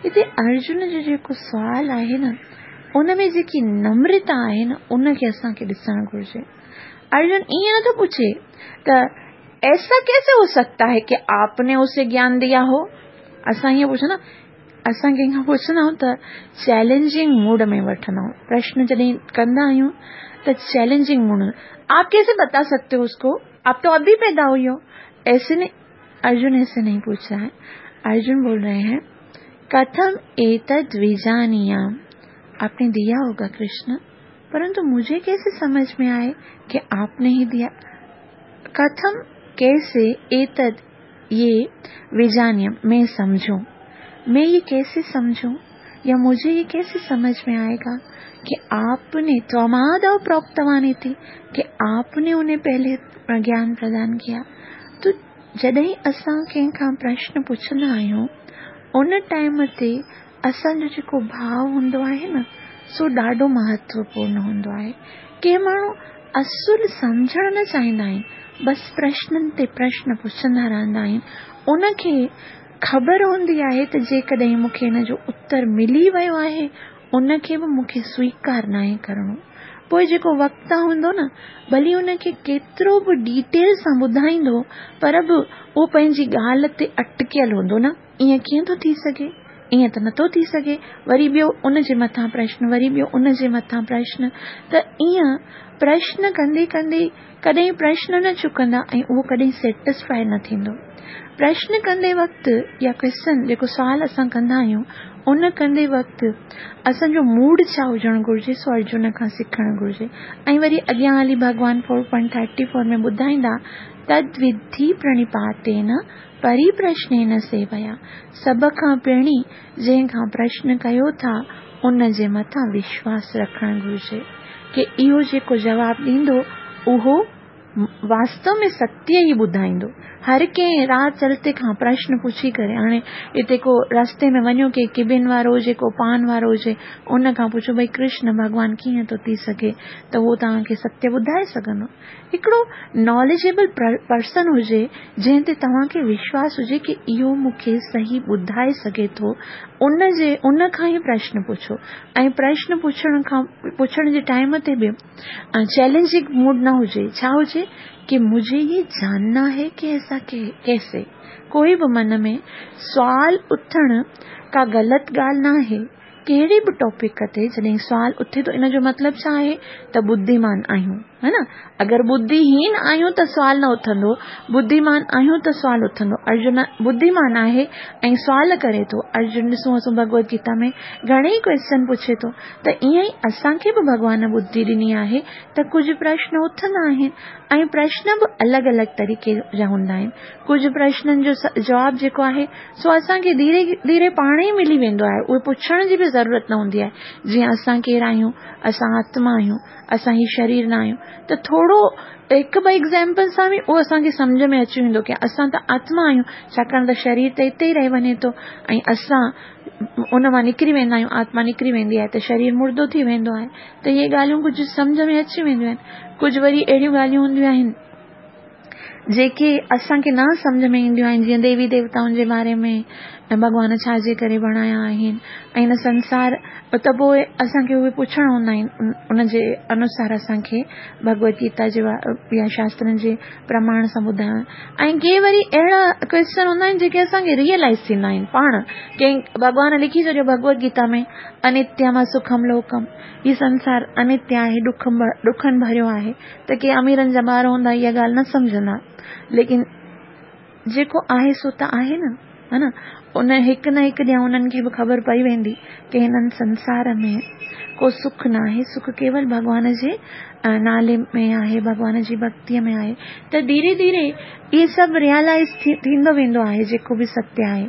هتي ارجن جو جيڪو سوال آهي نه، ان ۾ جيڪي نمرتا آهي نه، ان کي اسان کي ڏسڻ گهرجي. ارجن ائين نٿو پڇي ته ايسا ڪيسي هو سگهتا هي ڪه آپ ني اسي گيان ديا هو. اسان ائين پڇندا، اسان ڪنهن کان پڇندا آهيون ته چئلينجنگ موڊ ۾ وٺندا آهيون. پرشن جڏهن ڪندا آهيون ته چئلينجنگ موڊ ۾، آپ ڪيسي بتا سگهتي هو اس ڪو، آپ تو ابھی پيدا ہوئی هو. ايسي نهين، ارجن ايسي نهين پوڇ رها هي. ارجن بول رهي هين ڪٿم ايتد وجانيام، आपने दिया होगा कृष्ण, परंतु मुझे कैसे समझ में आए कि आपने ही दिया। कथम कैसे, एतद ये, विजानियम मैं समझूं, मैं ये कैसे समझूं या मुझे ये कैसे समझ में आएगा कि आपने त्वमादौ प्रोक्तवान इति, कि आपने उन्हें पहले ज्ञान प्रदान किया। तो जॾहिं असां कंहिंखां प्रश्न पुछंदा आहियूं उन टाइम ते असांजो जेको भाव हूंदो आहे न, सो ॾाढो महत्वपूर्ण हूंदो आहे। के माण्हू असुल सम्झणु न चाहींदा आहिनि, बसि प्रश्ननि ते प्रश्न पुछंदा रहंदा आहिनि। उनखे ख़बर हूंदी आहे त जेकॾहिं मूंखे हिन जो उत्तर मिली वियो आहे, उनखे बि मूंखे स्वीकार नाहे करिणो। पोइ जेको वक्ता हूंदो न, भली उनखे केतिरो बि डिटेल सां ॿुधाईंदो, पर बि उहो पंहिंजी ॻाल्हि ते अटकियल हूंदो न, ईअं कीअं थो थी सघे, ईअं त नथो थी सघे। वरी ॿियो उन जे मथां प्रश्न, वरी ॿियो उन जे मथां प्रश्न, त ईअं प्रश्न कंदे कंदे कॾहिं प्रश्न न चुकंदा ऐं उहो कॾहिं सेटिस्फाई न थींदो। प्रश्न कंदे वक़्तु या क्वेश्चन जेको सवाल असां कंदा आहियूं, उन कंदे वक़्तु असांजो मूड छा हुजणु घुरिजे, सो अर्जुन खां सिखणु घुरिजे। ऐं वरी अॻियां हली भॻवान फोर पॉइंट थर्टी फोर में ॿुधाईंदा, तद्विद्धि प्रणिपातेन परिप्रश्नेन सेवया। सभ खां पहिरीं जंहिंखां प्रश्न कयो था उन जे मथां विश्वास रखणु घुरिजे कि इहो जेको जवाबु ॾींदो उहो वास्तव में सत्य ई ॿुधाईंदो। हर कंहिं राह चलते खां प्रश्न पुछी करे, हाणे हिते को रस्ते में वञो, कंहिं किबिन वारो हुजे, को पान वारो हुजे, उन खां पुछो भई कृष्ण भॻवान कीअं थो थी सघे, त उहो तव्हांखे सत्य ॿुधाए सघंदो। हिकिड़ो नॉलेजेबल पर्सन हुजे जंहिं ते तव्हांखे विश्वास हुजे कि इहो मूंखे सही ॿुधाए सघे थो, उन जे उन खां ई प्रश्न पुछो। ऐं प्रश्न पुछण खां पुछण जे टाइम ते बि चैलेंजिंग मूड न हुजे, छा हुजे कि मुझे ये जानना है कि ऐसा कैसे। कोई बि मन में सवाल उथण का ग़लति ॻाल्हि न आहे। कहिड़े बि टॉपिक ते जॾहिं सवाल उथे थो, इन जो मतिलबु छा आहे त बुद्धिमान आहियूं, है न। अगरि बुद्धिहीन आहियूं त सवाल न उथंदो, बुद्धिमान आहियूं त सवाल उथंदो। अर्जुन बुद्धिमान आहे ऐं सवाल करे थो। अर्जुन ॾिसूं असां भगवत गीता में घणेई क्वेश्चन पुछे थो, त ईअं ई असांखे बि भॻवान बुद्धि ॾिनी आहे त कुझु प्रश्न उथंदा आहिनि ऐं प्रश्न बि अलॻि अलॻि तरीक़े जा हूंदा आहिनि। कुझु प्रश्ननि जो जवाबु जेको आहे सो असांखे धीरे धीरे पाण ई मिली वेंदो आहे, उहे पुछण जी बि ज़रूरत न हूंदी आहे। जीअं असां केरु आहियूं, असां आत्मा आहियूं, اسان هي شرير نه آهيون. ته ٿورو هڪ ٻه ايگزامپل سان به اهو اسان کي سمجهه ۾ اچي ويندو ڪه اسان ته آتما آهيون، ڇاڪاڻ ته شرير ته هتي ئي رهي وڃي ٿو ۽ اسان ان مان نڪري ويندا آهيون، آتما نڪري ويندي آهي ته شرير مردو ٿي ويندو آهي. ته اهي ڳالهيون ڪجهه سمجهه ۾ اچي وينديون آهن. ڪجهه وري اهڙيون ڳالهيون هونديون آهن جيڪي اسان کي نه سمجهه ۾ اينديون آهن، جيئن ديوي ديوتائن جي باري ۾ ۽ ڀڳوان ڇا جي ڪري بڻايا آهن ۽ هن سنسار، ته پوءِ اسان کي اهي پڇڻا هوندا آهن، ان جي انوسار اسان کي ڀڳوت گيتا جي يا شاسترن جي پرماڻ سان ٻڌائڻ. ۽ ڪي وري اهڙا ڪوئسچن هوندا آهن جيڪي اسان کي ريئلائز ٿيندا آهن پاڻ، ڪنهن ڀڳوان لکي ڇڏيو ڀڳوت گيتا ۾ انتيم سکم لوڪم، هي سنسار انتيه آهي، ڏک ڏکن ڀريو آهي. ته ڪي اميرن جا ٻار هوندا اها ڳالهه نه سمجهندا، ليڪن جيڪو آهي سو ته آهي نه، ها نه. ان هڪ نه هڪ ڏينهن انهن کي به خبر پئي ويندي ڪه هنن سنسار ۾ ڪو سک نه آهي، سک ڪيول ڀڳوان جي نالي ۾ آهي، ڀڳوان جي ڀڪتيءَ ۾ آهي. ته ڌيري ڌيري اهي سڀ ريئلائز ٿيندو ويندو آهي جيڪو به ستيه آهي.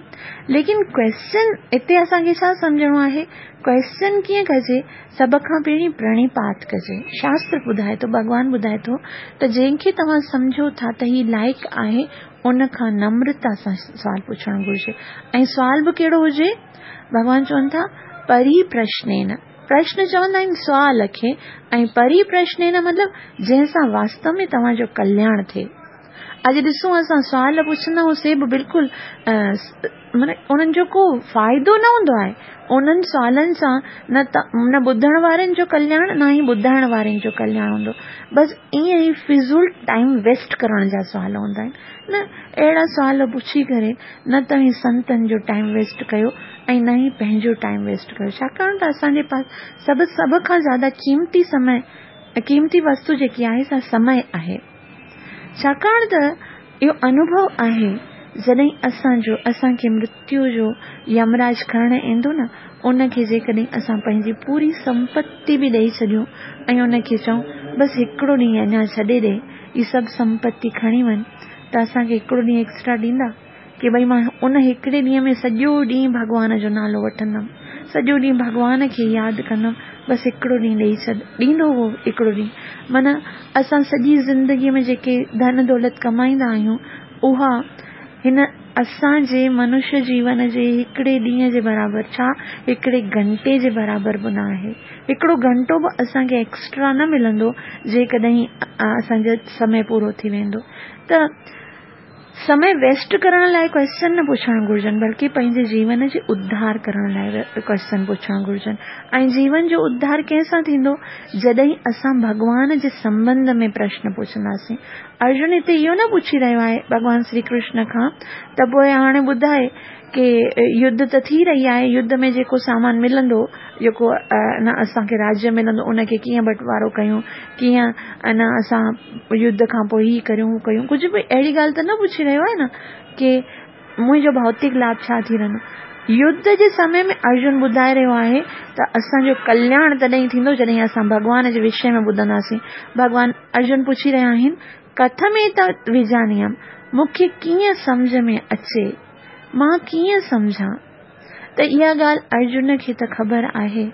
ليڪن ڪوئسچن هتي اسان کي ڇا سمجهڻو آهي، ڪوئسچن ڪيئن ڪجي؟ سڀ کان پهرين پرڻيپات ڪجي. شاستر ٻڌائي ٿو، ڀڳوان ٻڌائي ٿو ته جنهن کي توهان سمجهو ٿا ته هي لائق آهي، ان کان نمرتا سان سوال پڇڻ گهرجي. ۽ سوال به ڪهڙو هجي؟ ڀڳوان چون ٿا پري پرشنين. پرشن چوندا آهن سوال کي، ۽ پري پرشنين مطلب جنهن سان واستو ۾ توهان جو ڪلياڻ ٿئي. اڄ ڏسون اسان سوال پڇندا آهيون سي به بلڪل معنيٰ انهن جو ڪو فائدو نه هوندو آهي. انهن سوالن سان نه ته نه ٻڌڻ وارن جو ڪلياڻ نه ئي ٻڌائڻ وارن جو ڪلياڻ هوندو. بس ائين ئي فضول ٽائيم ويسٽ ڪرڻ جا سوال هوندا آهن. نه اهڙا سوال پڇي ڪري نه توهين سنتن جو ٽائيم ويسٽ ڪيو ۽ نه ئي پنهنجو ٽائيم ويسٽ ڪيو. ڇاڪاڻ ته اسان جي پاس سڀ سڀ کان زياده قيمتي سمي قيمتي وستو جيڪي آهي سا سمي آهي. ڇاڪاڻ ته اهو انوڀو آهي جڏهن اسان جو اسان کي مرتيو جو يمراج کڻڻ ايندو نه، ان کي جيڪڏهن اسان پنهنجي پوري سمپتي به ڏيئي ڇڏيون ۽ ان کي چئون بس هڪڙو ڏينهن اڃا ڇڏي ڏي، هي سڀ سمپتي کڻي وڃ، ته اسان کي هڪڙو ڏينهن ايڪسٽرا ڏيندا ڪه ڀئي مان ان هڪڙي ڏينهن ۾ سڄو ڏينهن ڀڳوان جو نالو وٺندم، سڄو ڏينهن ڀڳوان کي ياد ڪندم، بس هڪڙو ڏينهن ڏيئي ڇڏ. ڏيندو اهو هڪڙو ڏينهن. معنيٰ اسان سڄي زندگيءَ ۾ جيڪي ڌن دولت ڪمائيندا آهيون اها هن اسان جي منشيه جيون جي هڪڙي ڏينهن جي برابر، ڇا هڪڙي گهنٽي جي برابر به نه آهي. هڪڙو گهنٽو به اسان کي ايڪسٽرا نه ملندو جيڪڏهن اسان جو سمي پورو ٿي ويندو. ته سمي ويسٽ ڪرڻ لاءِ ڪوئسچن نه پڇڻ گهرجن، بلڪه پنهنجي جيون جي اڌار ڪرڻ لاءِ ڪوئسچن پڇڻ گهرجن. ۽ جيون جو اڌار ڪنهن سان ٿيندو؟ جڏهن اسان ڀڳوان جي سنٻنڌ ۾ پرشن پڇنداسين. ارجن هتي اهو نه پڇي رهيو آهي ڀڳوان شري ڪرشن کان ته پوءِ هاڻي ٻڌائي ڪه يڌ ته ٿي رهي آهي، يڌ ۾ جيڪو سامان ملندو، جيڪو نه اسان کي راجيه ملندو، ان کي ڪيئن بٽوارو ڪيون، ڪيئن نه اسان يڌ کان پوءِ هي ڪريون هو ڪيون، ڪجهه به اهڙي ڳالهه ته نه پڇي رهيو آهي نه ڪه منهنجو ڀوتڪ لاڀ ڇا ٿي رهندو. يڌ جي سمي ۾ ارجن ٻڌائي رهيو آهي ته اسان جو ڪلياڻ تڏهن ٿيندو جڏهن اسان ڀڳوان جي وشي ۾ ٻڌنداسين. ڀڳوان ارجن پڇي رهيا آهن ڪٿميتت وجانيم، مون کي ڪيئن سمجهه ۾ اچي، مان ڪيئن سمجهان؟ ته اها ڳالهه ارجن کي ته خبر آهي.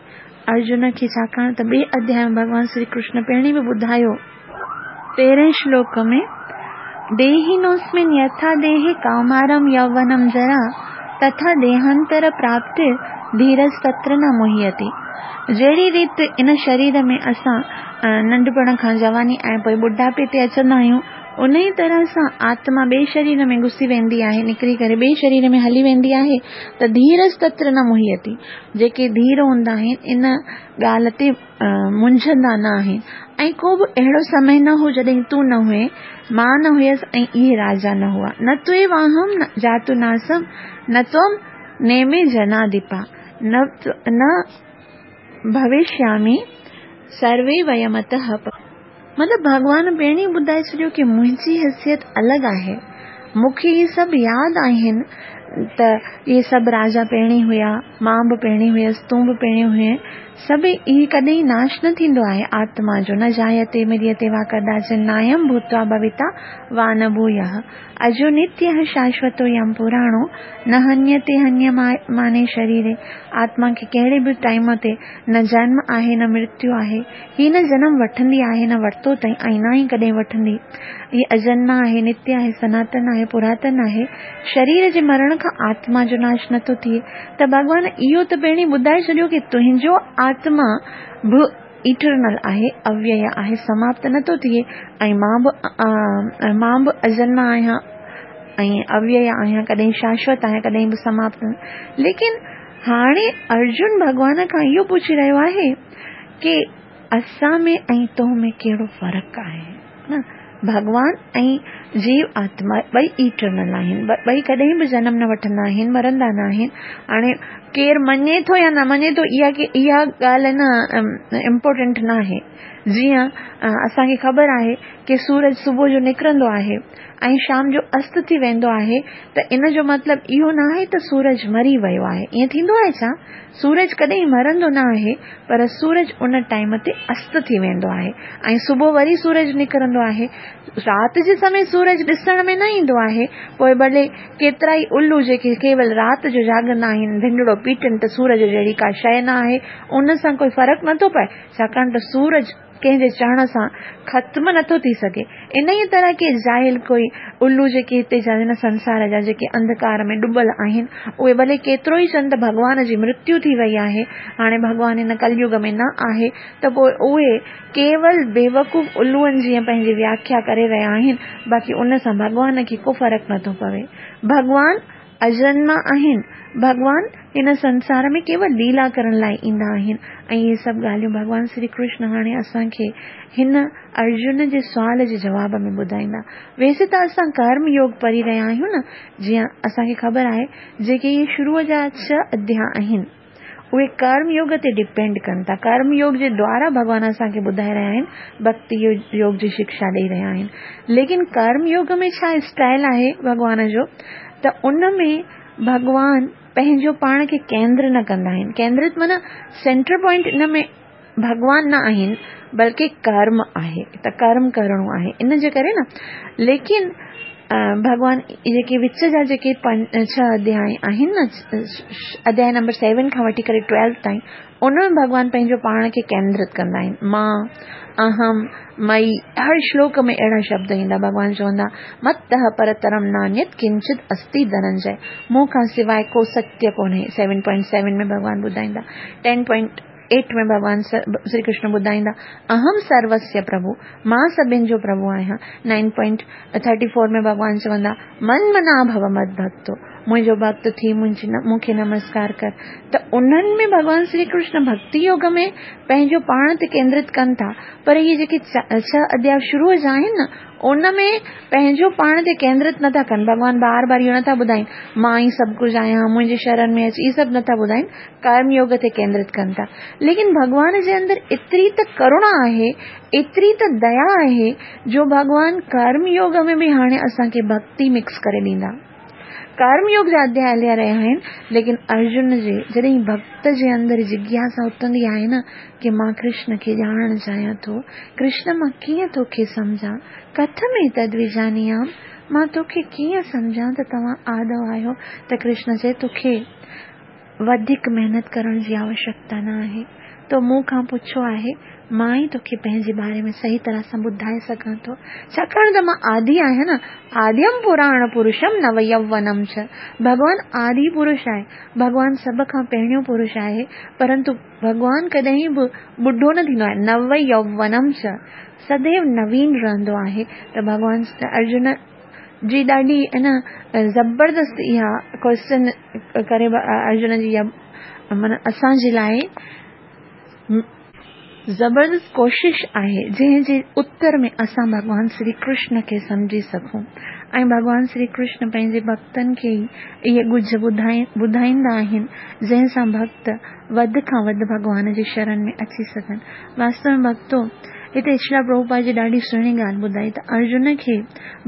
ارجن کي ڇاڪاڻ ته ٻئي اڌياءِ ۾ ڀڳوان شري ڪرشن پهرين به ٻڌايو تيرهين شلوڪ ۾ ديهिनोऽस्मिन् यथा देहे कौमारं यौवनं जरा तथा देहांतर प्राप्ति धीरस्तत्र न मुह्यति। जहिड़ी रीति इन शरीर में असां नंढपण खां जवानी ऐं पोइ ॿुढापे ते अचंदा आहियूं, उन ई तरह सां आत्मा ॿिए शरीर में घुसी वेंदी आहे, निकिरी करे ॿिए शरीर में हली वेंदी आहे। त धीरस्तत्र न मुह्यति, जेके धीर हूंदा आहिनि इन ॻाल्हि ते मुंझंदा न आहिनि। ऐं को बि अहिड़ो समय न हो जॾहिं तूं न हुए, मां न हुयसि ऐं इहे राजा न हुआ। न त्वेवाहं न जातु नासम न त्वं नेमे जनाधिपा न न भविष्यामि सर्वे वयमतः। मतिलबु भॻवान पहिरीं ॿुधाए छॾियो की मुंहिंजी हैसियत अलॻि आहे, मूंखे इहे सभु यादि आहिनि त इहे सभु राजा पहिरीं हुया, मां बि पहिरीं हुयसि, तूं बि पहिरीं हुए, سڀ هي ڪڏهن ناش نه ٿيندو آهي آتما جو. نه جايتي مريتي وا ڪداچن نايم ڀوتوا ڀويتا وا نه ڀويः. اجو نتيه شاشوتو يم پراڻو نه هنيتي هنيماني شريري. آتما کي ڪهڙي به ٽائيم تي نه جنم آهي نه مرتيو آهي. هي نه جنم وٺندي آهي نه ورتو اٿئي ۽ نه ئي ڪڏهن وٺندي. هي اجنما آهي، نتيه آهي، سناتن آهي، پراتن آهي. شرير جي مرڻ کان آتما جو ناش نٿو ٿئي. ته ڀڳوان اهو ته پهرين ٻڌائي ڇڏيو ڪه تنهنجو آتما به ايٽرنل آهي، اويي آهي، سماپت نٿو ٿئي ۽ مان به مان به اجنما آهيان ۽ اويي آهيان، ڪڏهن شاشوت آهيان، ڪڏهن به سماپت. ليڪن هاڻي ارجن ڀڳوان کان اهو پڇي رهيو آهي ڪه اسان ۾ ۽ تو ۾ ڪهڙو فرق آهي؟ نه ڀڳوان ۽ جيو آتما ٻئي ايٽرنل آهن، ٻئي ڪڏهن به جنم نه وٺندا آهن، مرندا نه آهن. هاڻي ڪير مڃي ٿو يا نه مڃي ٿو اها اها ڳالهه نه امپورٽنٽ نه آهي. جيئن اسان کي خبر آهي ڪه سورج صبح جو نڪرندو آهي ۽ شام جو است ٿي ويندو آهي، ته ان جو مطلب اهو نه آهي ته سورج مري ويو آهي. ائين ٿيندو آهي ڇا؟ سورج ڪڏهن مرندو نه آهي، پر سورج ان ٽائيم تي است ٿي ويندو آهي ۽ صبح وري سورج نڪرندو آهي. رات جي سمي سورج ڏسڻ ۾ نه ايندو آهي. پوءِ ڀلي ڪيترا ئي الو جيڪي ڪيول رات جو جاڳندا آهن، ڍنڍڙو پيٽن ته سورج جهڙي ڪا شيءِ نه آهي، ان سان ڪوئي فرق نٿو پئي، ڇاڪاڻ ته سورج ڪنهن جي چوڻ سان ختم نٿو ٿي سگهي. ان ئي طرح ڪي جاهل ڪوئي الو جيڪي هتي جا هن سنسار جا جيڪي انڌڪار ۾ ڊبل آهن، اهي ڀلي ڪيترو ئي چون ته ڀڳوان جي مرتيو ٿي وئي آهي، هاڻي ڀڳوان هن ڪليگ ۾ نه آهي، ته پوءِ اهي ڪيول بيوقوف الوئن جيئن پنهنجي وياکيا ڪري رهيا آهن، باقي ان سان ڀڳوان کي ڪو فرق نٿو پوي. ڀڳوان اجنما آهن، ڀڳوان هن سنسار ۾ ڪيول ليلا ڪرڻ لاءِ ايندا آهن. ۽ اهي سڀ ڳالهيون ڀڳوان شري ڪرشن هاڻي اسان کي هن ارجن جي سوال جي جواب ۾ ٻڌائيندا. ويسي ته اسان ڪرم يوگ پڙهي رهيا آهيون نه، جيئن اسان کي خبر آهي جيڪي اهي شروع جا ڇهه اڌياء آهن اهي ڪرم يوگ تي ڊپينڊ ڪن ٿا. ڪرم يوگ جي دوارا ڀڳوان اسان کي ٻڌائي رهيا آهن، ڀڪتي يوگ جي شڪشا ڏيئي رهيا آهن. ليڪن ڪرم يوگ ۾ ڇا اسٽائل آهي ڀڳوان جو، ته ان ۾ ڀڳوان پنهنجو پاڻ کي ڪيندر نه ڪندا آهن. ڪيندرت معنيٰ سينٽر پوائنٽ ان ۾ ڀڳوان نه آهن، بلڪه ڪرم آهي، ته ڪرم ڪرڻو آهي ان جي ڪري نه. ليڪن ڀڳوان جيڪي وچ جا جيڪي ڇهه اڌياء آهن نه، اڌياء نمبر سيون کان وٺي ڪري ٽويلو تائين، ان ۾ ڀڳوان پنهنجو پاڻ کي ڪيندرت ڪندا آهن. مان، اهم، مئي، هر شلوڪ ۾ اهڙا شبد ايندا. ڀڳوان چوندا متः پرترم نانيت ڪنچت استي ڌننجي، مون کان سواءِ ڪو ستيه ڪونهي. سيون پوائنٽ سيون ۾ ڀڳوان ٻڌائيندا. ٽين پوائنٽ ايٽ ۾ ڀڳوان شري ڪرشن ٻڌائيندا اهم سروسيه پرڀو، مان سڀني جو پرڀو آهيان. نائن پوائنٽ ٿرٽي فور ۾ ڀڳوان چوندا من منا ڀو مد ڀڪتو، منهنجو ڀڪت ٿي منهنجي مون کي نمسڪار ڪر. ته انهن ۾ ڀڳوان شري ڪرشن ڀڪتي يوگ ۾ پنهنجو پاڻ تي ڪيندرت ڪن ٿا، پر اهي جيڪي ڇهه اڌياء شروع جا آهن نه، ان ۾ پنهنجو پاڻ تي ڪيندرت نٿا ڪن. ڀڳوان بار بار اهو نٿا ٻڌائين مان ئي سڀ ڪجهه آهيان، منهنجي شرڻ ۾ اچ، اهي سڀ نٿا ٻڌائين، ڪرم يوگ تي ڪيندرت ڪن ٿا. ليڪن ڀڳوان جي اندر ايتري ته ڪرڻا آهي، ايتري ته ديا آهي، جو ڀڳوان ڪرم يوگ ۾ به هاڻي اسان کي ڀڪتي مڪس ڪري ڏيندا. ڪرم يوگ جا اڌياء هليا رهيا آهن، ليڪن ارجن جي جڏهن ڀڪت جي اندر جگياسا اٿندي آهي نه ڪه مان ڪرشن کي ڄاڻڻ چاهيان ٿو، ڪرشن مان ڪيئن توکي سمجهان، ڪٿ ۾ تدويجانيام، مان توکي ڪيئن سمجهان ته توهان آدو آهيو. ته ڪرشن چئي توکي وڌيڪ محنت ڪرڻ جي آوشيڪتا نه آهي، تو مون کان پڇيو آهي، مان ئي توکي پنهنجي باري ۾ صحيح طرح سان ٻڌائي سگهان ٿو، ڇاڪاڻ ته مان آدي آهيان نه. آديم پراڻ پرشم نو يوونم چ، ڀڳوان آدي پرش آهي، ڀڳوان سڀ کان پهريون پرش آهي، پرنتو ڀڳوان ڪڏهن به ٻڍو نه ٿيندو آهي. نو يوونم چ، سديو نوين رهندو آهي. ته ڀڳوان ارجن جي ڏاڍي نه زبردست اها ڪوئسچن ڪري ارجن جي اها معنيٰ اسان جي لاءِ زبردست ڪوشش آهي، جنهن جي اتر ۾ اسان ڀڳوان شري ڪرشن کي سمجهي سگهون. ۽ ڀڳوان شري ڪرشن پنهنجي ڀڪتن کي ئي اهي ڳجهه ٻڌائيندا آهن، جنهن سان ڀڪت وڌ کان وڌ ڀڳوان جي شرڻ ۾ اچي سگهن. واستو ۾ ڀڪتو، هتي شريلا پرڀوپاد جي ڏاڍي سهڻي ڳالهه ٻڌائي ته ارجن کي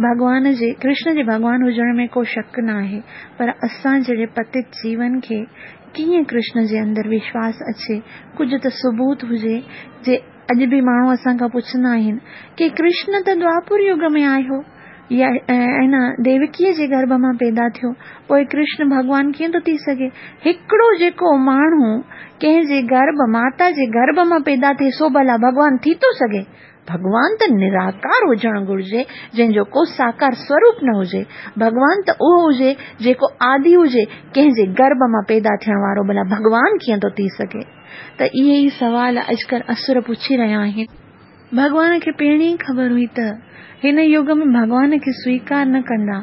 ڀڳوان جي ڪرشن جي ڀڳوان هجڻ ۾ ڪو شڪ نه آهي، پر اسان جهڙي پتت جيون کي ڪيئن ڪرشن جي اندر وشواس اچي؟ ڪجهه ته ثبوت هجي. جي اڄ به ماڻهو اسان کان پڇندا آهن ڪي ڪرشن ته دوآپر يگ ۾ آيو يا ۽ نه ديوڪيء جي گرڀ مان پيدا ٿيو، پوء ڪرشن ڀڳوان ڪيئن ٿو ٿي سگهي؟ هڪڙو جيڪو ماڻهو ڪنهن جي گرڀ، ماتا جي گرڀ مان پيدا ٿئي سو ڀلا ڀڳوان ٿي ٿو سگهي؟ ڀڳوان ته نراڪار هجڻ گهرجي، جنهن جو ڪو ساڪار سوروپ نه هجي. ڀڳوان ته اهو هجي جيڪو آدي هجي، ڪنهن جي گرڀ مان پيدا ٿيڻ وارو ڀلا ڀڳوان ڪيئن ٿو ٿي سگهي؟ ته اهي ئي سوال اڄڪلهه اسر پڇي رهيا آهن. ڀڳوان کي پهرين ئي خبر هئي ته هن يگ ۾ ڀڳوان کي سويڪار نه ڪندا،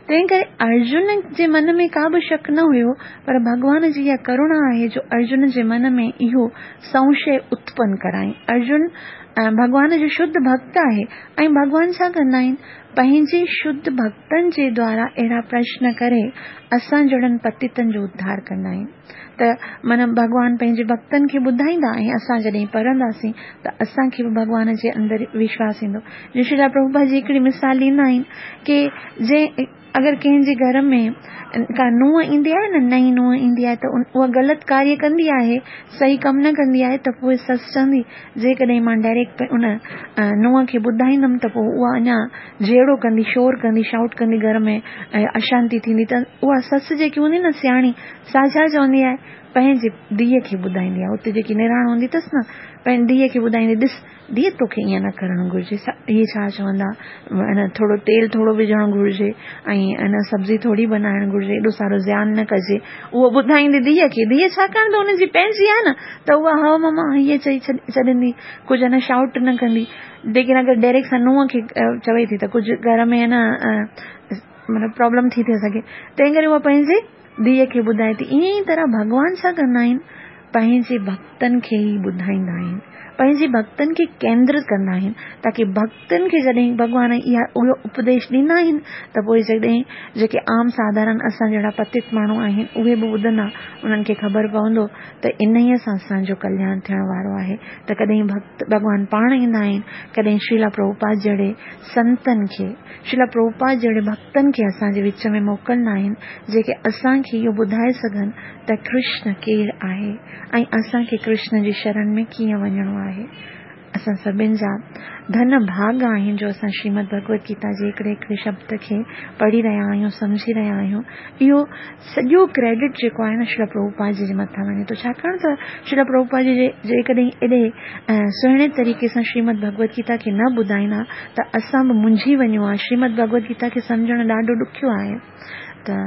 تنهن ڪري ارجن جي من ۾ ڪا به شڪ نه هيو، پر ڀڳوان جي اها ڪروڻا آهي جو ارجن جي من ۾ اهو سنشي اتپن ڪرائين. ارجن ڀڳوان جو شڌ ڀڳت آهي ۽ ڀڳوان ڇا ڪندا آهن؟ پنهنجي شڌ ڀڳتن جي دوارا اهڙا پرشن ڪري اسان جهڙن پتيتن جو اڌار ڪندا آهن. ته معنيٰ ڀڳوان پنهنجي ڀڳتن کي ٻڌائيندا ۽ اسان جڏهن پڙهنداسين ته اسان کي به ڀڳوان جي اندر وشواس ايندو. جيئن شريلا پرڀوپاد جي هڪڙي مثال ڏيندا آهن ڪي جنهن اگر ڪنهن جي گهر ۾ ڪا نونهن ايندي آهي نه، نئين نونهن ايندي آهي ته اها غلط ڪاريه ڪندي آهي، صحيح ڪم نه ڪندي آهي، ته پوء سس چوندي جيڪڏهن مان ڊائريڪٽ ان نونهن کي ٻڌائيندم ته پوء اها اڃا جهيڙو ڪندي، شور ڪندي، شائوٽ ڪندي، گهر ۾ اشانتي ٿيندي. ته اها سس جيڪي هوندي نه سياڻي، سا ڇا چوندي آهي؟ پنهنجي ڌيء کي ٻڌائيندي آهي. اتي جيڪي نراڻ هوندي اٿس نه، پنهنجي ڌيء کي ٻڌائيندي، ڏس ڌيء توکي ائين نه ڪرڻ گهرجي، اهي ڇا چوندا، ان ٿورو تيل ٿورو وجهڻ گهرجي ۽ ان سبزي ٿوري بنائڻ گهرجي، ايڏو سارو زيان نه ڪجي. اهو ٻڌائيندي ڌيء کي. ڌيء ڇاڪاڻ ته ان جي پنهنجي آهي نه، ته اها هؤ ماما هيئن چئي ڇڏيندي، ڪجهه نه شائوٽ نه ڪندي. ليڪن اگر ڊائريڪٽ سان نونهن کي چوي ٿي ته ڪجهه گهر ۾ نه مطلب پرابلم ٿي ٿي سگهي، تنهن ڪري اها پنهنجي ڌيء کي ٻڌائي ٿي. ائين ئي طرح ڀڳوان ڇا ڪندا آهن؟ پنهنجي ڀڳتن کي ئي ٻڌائيندا آهن، پنهنجي ڀڳتن کي ڪيندرت ڪندا آهن، تاڪي ڀڳتن کي جڏهن ڀڳوان اها اهو اپديش ڏيندا آهن ته پوء جڏهن جيڪي عام ساڌارڻ اسان جهڙا پتت ماڻهو آهن اهي به ٻڌندا، انهن کي خبر پوندو ته انهيء سان اسان جو ڪلياڻ ٿيڻ وارو آهي. ته ڪڏهن ڀڳت ڀڳوان پاڻ ايندا آهن، ڪڏهن شريلا پرڀوپاد جهڙي سنتن کي، شريلا پرڀوپاد جهڙي ڀڳتن کي اسان جي وچ ۾ موڪلندا آهن، جيڪي اسان کي اهو ٻڌائي سگهن ته ڪرشن ڪير آهي ۽ اسان کي ڪرشن جي شرڻ ۾ ڪيئن وڃڻو آهي. اسان سڀن جا ڌن ڀاڳ آهن جو اسان شريمد ڀڳوت گيتا جي هڪڙي هڪڙي شبد کي پڙهي رهيا آهيون، سمجهي رهيا آهيون. اهو سڄو ڪريڊٽ جيڪو آهي نه شريلا پرڀوپاد جي مٿان وڃي ٿو، ڇاڪاڻ ته شريلا پرڀوپاد جي جيڪڏهن ايڏي سهڻي طريقي سان شريمد ڀڳوت گيتا کي نه ٻڌائيندا ته اسان به منجهي وڃون ها. شريمد ڀڳوت گيتا کي سمجهڻ ڏاڍو ڏکيو آهي. ته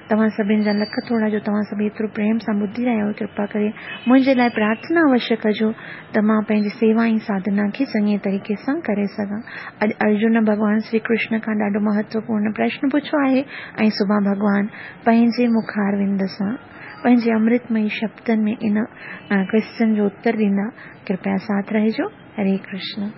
توهان سڀن جا لک ٿورا جو توهان سڀ ايترو پريم سان ٻڌي رهيا آهيو. ڪرپا ڪري منهنجي لاءِ پرارٿنا اوشيه ڪجو ته مان پنهنجي سيوا ۽ ساڌنا کي چڱي طريقي سان ڪري سگهان. اڄ ارجن ڀڳوان شري ڪرشن کان ڏاڍو مهتوپورڻ پرشن پڇيو آهي ۽ سڀان ڀڳوان پنهنجي مکاروند سان پنهنجي امرتمئي شبدن ۾ ان ڪويسچن جو اتر ڏيندا. ڪرپيا ساٿ رهجو. هري ڪرشن.